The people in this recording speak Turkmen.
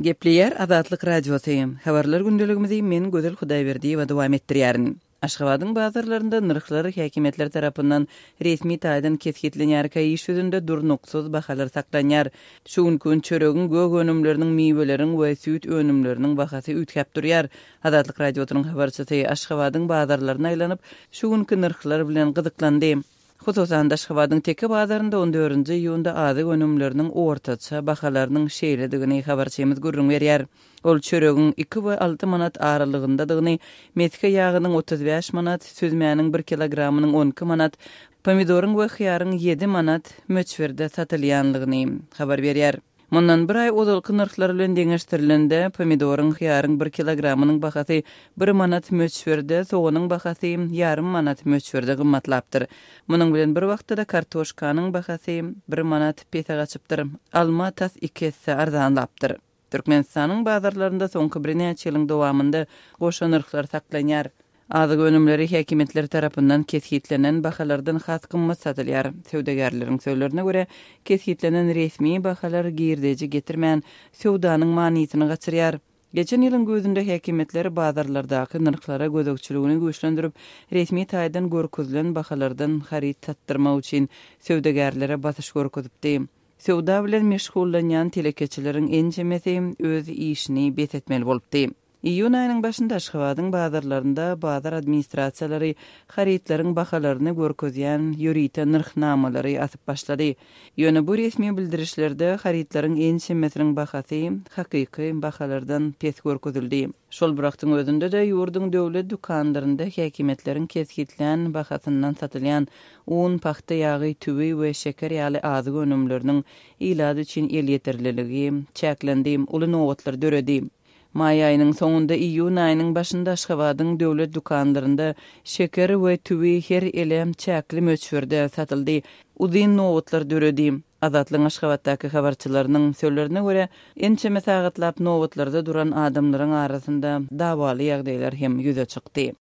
Gepleýär Azatlyk Radiosy. Habarlar gündeligimizi men Gözel Hudaýberdiýewa dowam etdirýärin. Aşgabadyň bazarlarynda nyrhlar häkimiýetler tarapyndan resmi taýdan kesgitlenýärkä iş ýüzünde durnuksyz bahalar saklanýar. Şu günki gün çöregiň, gök önümleriniň, miweleriň we süýt önümleriniň bahasy üýtgäp durýar. Azatlyk Radiosynyň habarçysy Aşgabadyň bazarlaryna aýlanyp, şu günki nyrhlar bilen gyzyklandy. Hususan-da, Aşgabadyň Teke bazarynda on dördünji iýunda azyk önümleriniň ortaça bahalarynyň şeýledigini habarçymyz gürrüň berýär. Ol çöregiň iki we alty manat aralygyndadygyny, mesge ýagynyň 35 manat, süzmäniň bir kilogramynyň 12 manat, pomidoryň we hyýaryň ýedi manat möçberde satylýanlygyny habar berýär. Mundan bir aý ozalky nyrhlar bilen deňeşdirilende, pomidoryň, hyýaryň bir kilogramynyň bahasy bir manat möçberde, soganyň bahasy ýarym manat möçberde gymmatlapdyr. Munuň bilen bir wagtda-da kartoşkanyň bahasy bir manat pese gaçypdyr, alma tas iki esse arzanlapdyr. Türkmenistanyň bazarlarynda soňky birnäçe ýylyň dowamynda goşa nyrhlar saklanýar. Azyk önümleri häkimiýetler tarapyndan kesgitlenen bahalardan has gymmat satylýar. Söwdagärleriň sözlerine görä, kesgitlenen resmi bahalar girdeji getirmän, söwdanyň manysyny gaçyrýar. Geçen ýylyň güýzünde häkimiýetler bazarlardaky nyrhlara gözegçiligini güýçlendirip, resmi taýdan görkezilen bahalardan haryt satdyrmak üçin söwdagärlere basyş görkezipdi. Söwda bilen meşgullanýan telekeçileriň ençemesi öz işini bes etmeli bolupdy. Iýun aýynyň başynda Aşgabadyň bazarlarynda bazar administrasiýalary harytlaryň bahalaryny görkezýän ýörite nyrhnamalary asyp başlady. Ýöne bu resmi bildirişlerde harytlaryň ençemesiniň bahasy hakyky bahalardan pes görkezildi. Şol bir wagtyň özünde-de ýurduň döwlet dükanlarynda häkimiýetleriň kesgitlän bahasyndan satylýan un, pagta ýagy, tüwi we şeker ýaly azyk önümleriniň ilat üçin elýeterliligi çäklendi, uly nobatlar döredi. Maý aýynyň soňunda, iýun aýynyň başynda Aşgabadyň döwlet dükanlarynda şeker we tüwi her ele çäkli möçberde satyldy, uzyn nobatlar döredi. Azatlygyň Aşgabatdaky habarçylarynyň sözlerine görä, ençeme sagatlap nobatlarda duran adamlaryň arasynda dawaly ýagdaýlar hem ýüze çykdy.